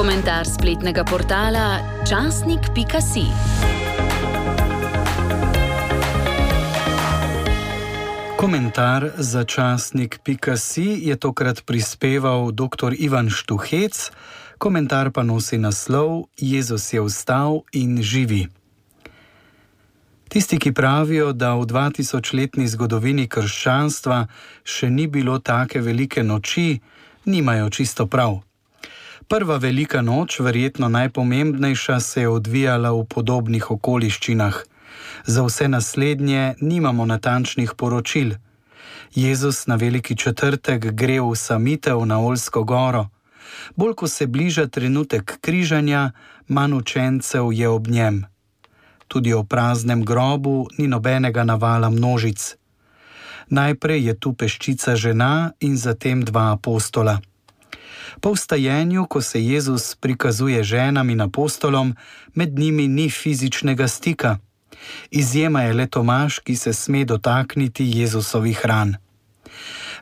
Komentar spletnega portala časnik.si. Komentar za časnik.si je tokrat prispeval dr. Ivan Štuhec, komentar pa nosi naslov Jezus je vstal in živi. Tisti, ki pravijo, da v 2000-letni zgodovini krščanstva še ni bilo take velike noči, nimajo čisto prav. Prva velika noč, verjetno najpomembnejša, se je odvijala v podobnih okoliščinah. Za vse naslednje nimamo natančnih poročil. Jezus na veliki četrtek gre v samitev na Oljsko goro. Bolj ko se bliža trenutek križanja, manj učencev je ob njem. Tudi o praznem grobu ni nobenega navala množic. Najprej je tu peščica žena in zatem 2 apostola. Po vstajenju, ko se Jezus prikazuje ženam in apostolom, med njimi ni fizičnega stika. Izjema je le Tomaž, ki se sme dotakniti Jezusovih ran.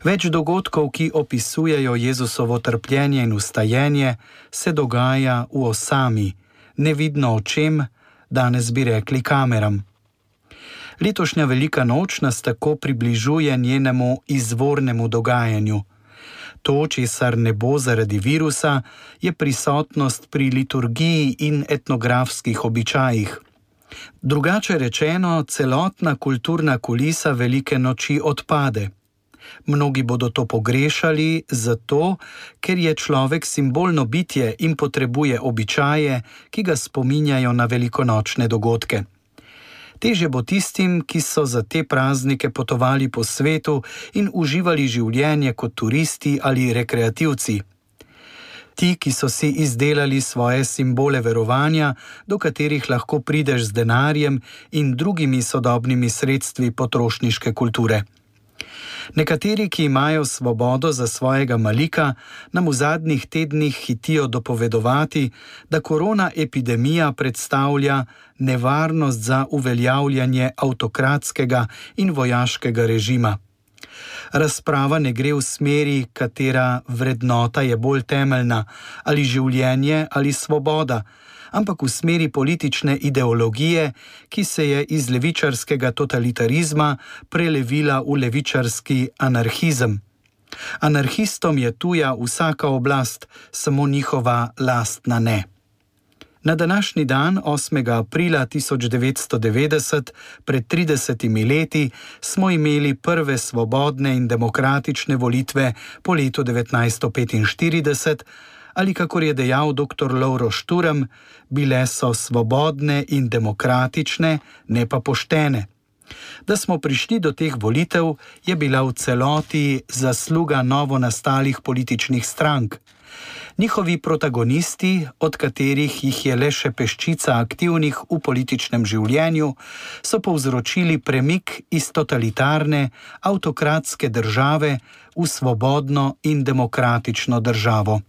Več dogodkov, ki opisujejo Jezusovo trpljenje in vstajenje, se dogaja v osami, nevidno očem, danes bi rekli kameram. Letošnja velika noč nas tako približuje njenemu izvornemu dogajanju. To, česar ne bo zaradi virusa, je prisotnost pri liturgiji in etnografskih običajih. Drugače rečeno, celotna kulturna kulisa velike noči odpade. Mnogi bodo to pogrešali zato, ker je človek simbolno bitje in potrebuje običaje, ki ga spominjajo na velikonočne dogodke. Težje bo tistim, ki so za te praznike potovali po svetu in uživali življenje kot turisti ali rekreativci. Ti, ki so si izdelali svoje simbole verovanja, do katerih lahko prideš z denarjem in drugimi sodobnimi sredstvi potrošniške kulture. Nekateri, ki imajo svobodo za svojega malika, nam v zadnjih tednih hitijo dopovedovati, da korona epidemija predstavlja nevarnost za uveljavljanje avtokratskega in vojaškega režima. Razprava ne gre v smeri, katera vrednota je bolj temeljna, ali življenje ali svoboda, ampak v smeri politične ideologije, ki se je iz levičarskega totalitarizma prelevila v levičarski anarhizem. Anarhistom je tuja vsaka oblast, samo njihova lastna ne. Na današnji dan, 8. aprila 1990, pred 30 leti, smo imeli prve svobodne in demokratične volitve po letu 1945, ali kakor je dejal dr. Lovro Šturm, bile so svobodne in demokratične, ne pa poštene. Da smo prišli do teh volitev, je bila v celoti zasluga novo nastalih političnih strank. Njihovi protagonisti, od katerih jih je le še peščica aktivnih v političnem življenju, so povzročili premik iz totalitarne, avtokratske države v svobodno in demokratično državo.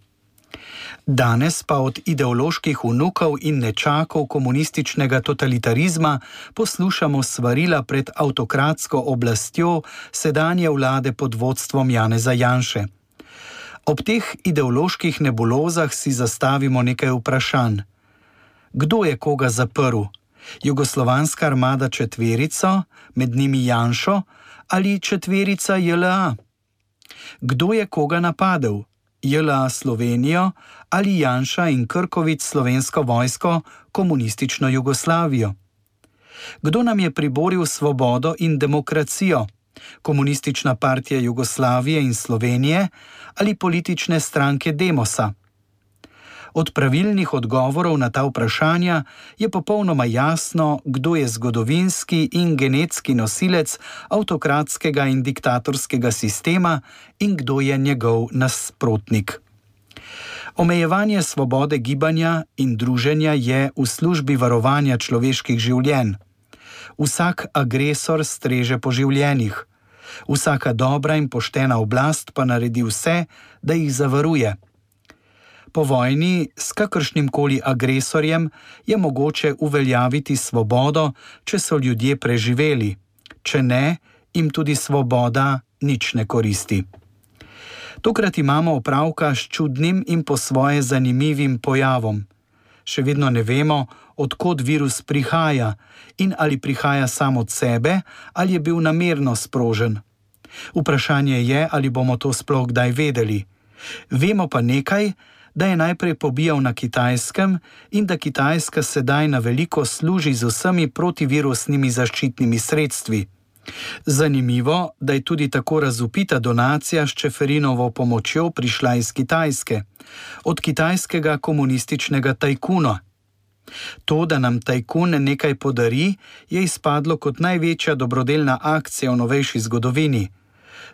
Danes pa od ideoloških vnukov in nečakov komunističnega totalitarizma poslušamo svarila pred avtokratsko oblastjo sedanje vlade pod vodstvom Janeza Janše. Ob teh ideoloških nebulozah si zastavimo nekaj vprašanj. Kdo je koga zaprl? Jugoslovanska armada četverico, med njimi Janšo, ali četverica JLA? Kdo je koga napadel? JLA Slovenijo ali Janša in Krkovič Slovensko vojsko, komunistično Jugoslavijo? Kdo nam je priboril svobodo in demokracijo? Komunistična partija Jugoslavije in Slovenije ali politične stranke Demosa? Od pravilnih odgovorov na ta vprašanja je popolnoma jasno, kdo je zgodovinski in genetski nosilec avtokratskega in diktatorskega sistema in kdo je njegov nasprotnik. Omejevanje svobode gibanja in druženja je v službi varovanja človeških življenj. Vsak agresor streže po življenjih. Vsaka dobra in poštena oblast pa naredi vse, da jih zavaruje. Po vojni s kakršnimkoli agresorjem je mogoče uveljaviti svobodo, če so ljudje preživeli. Če ne, jim tudi svoboda nič ne koristi. Tokrat imamo opravka s čudnim in po svoje zanimivim pojavom. Še vedno ne vemo, od kod virus prihaja in ali prihaja sam od sebe ali je bil namerno sprožen. Vprašanje je, ali bomo to sploh kdaj vedeli. Vemo pa nekaj, da je najprej pobijal na Kitajskem in da Kitajska sedaj na veliko služi z vsemi protivirusnimi zaščitnimi sredstvi. Zanimivo, da je tudi tako razvpita donacija s Čeferinovo pomočjo prišla iz Kitajske, od kitajskega komunističnega tajkuna. To, da nam tajkun nekaj podari, je izpadlo kot največja dobrodelna akcija v novejši zgodovini.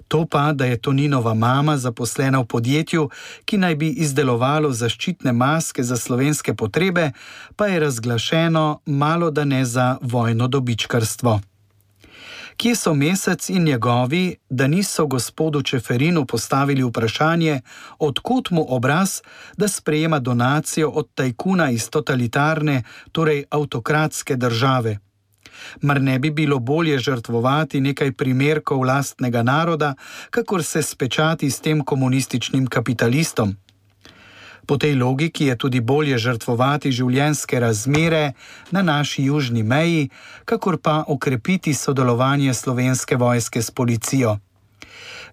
To pa, da je Toninova mama zaposlena v podjetju, ki naj bi izdelovalo zaščitne maske za slovenske potrebe, pa je razglašeno malo da ne za vojno dobičkarstvo. Kje so Mesec in njegovi, da niso gospodu Čeferinu postavili vprašanje, odkot mu obraz, da sprejema donacijo od tajkuna iz totalitarne, torej avtokratske države? Mar ne bi bilo bolje žrtvovati nekaj primerkov lastnega naroda, kakor se spečati s tem komunističnim kapitalistom? Po tej logiki je tudi bolje žrtvovati življenjske razmere na naši južni meji, kakor pa okrepiti sodelovanje Slovenske vojske s policijo.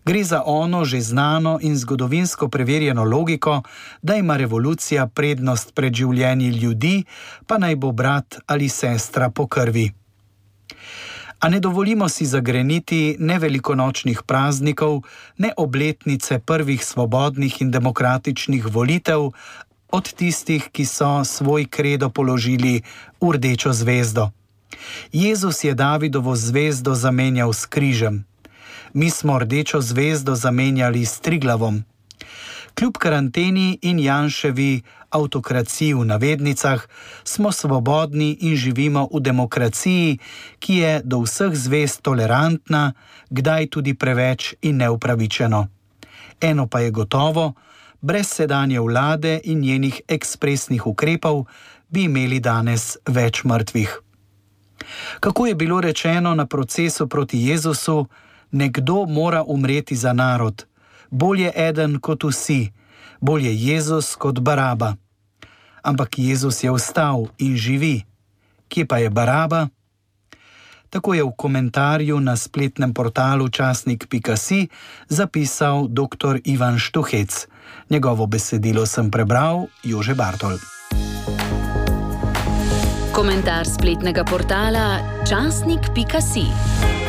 Gre za ono že znano in zgodovinsko preverjeno logiko, da ima revolucija prednost pred življenji ljudi, pa naj bo brat ali sestra po krvi. A ne dovolimo si zagreniti ne velikonočnih praznikov, ne obletnice prvih svobodnih in demokratičnih volitev od tistih, ki so svoj kredo položili v rdečo zvezdo. Jezus je Davidovo zvezdo zamenjal s križem. Mi smo rdečo zvezdo zamenjali s Triglavom. Kljub karanteni in Janševi avtokraciji v navednicah smo svobodni in živimo v demokraciji, ki je do vseh zvezd tolerantna, kdaj tudi preveč in neupravičeno. Eno pa je gotovo, brez sedanje vlade in njenih ekspresnih ukrepov bi imeli danes več mrtvih. Kako je bilo rečeno na procesu proti Jezusu, nekdo mora umreti za narod. Bolje eden kot vsi, bolje Jezus kot Baraba. Ampak Jezus je vstal in živi. Kje pa je Baraba? Tako je v komentarju na spletnem portalu časnik.si zapisal dr. Ivan Štuhec. Njegovo besedilo sem prebral Jože Bartol. Komentar spletnega portala časnik.si.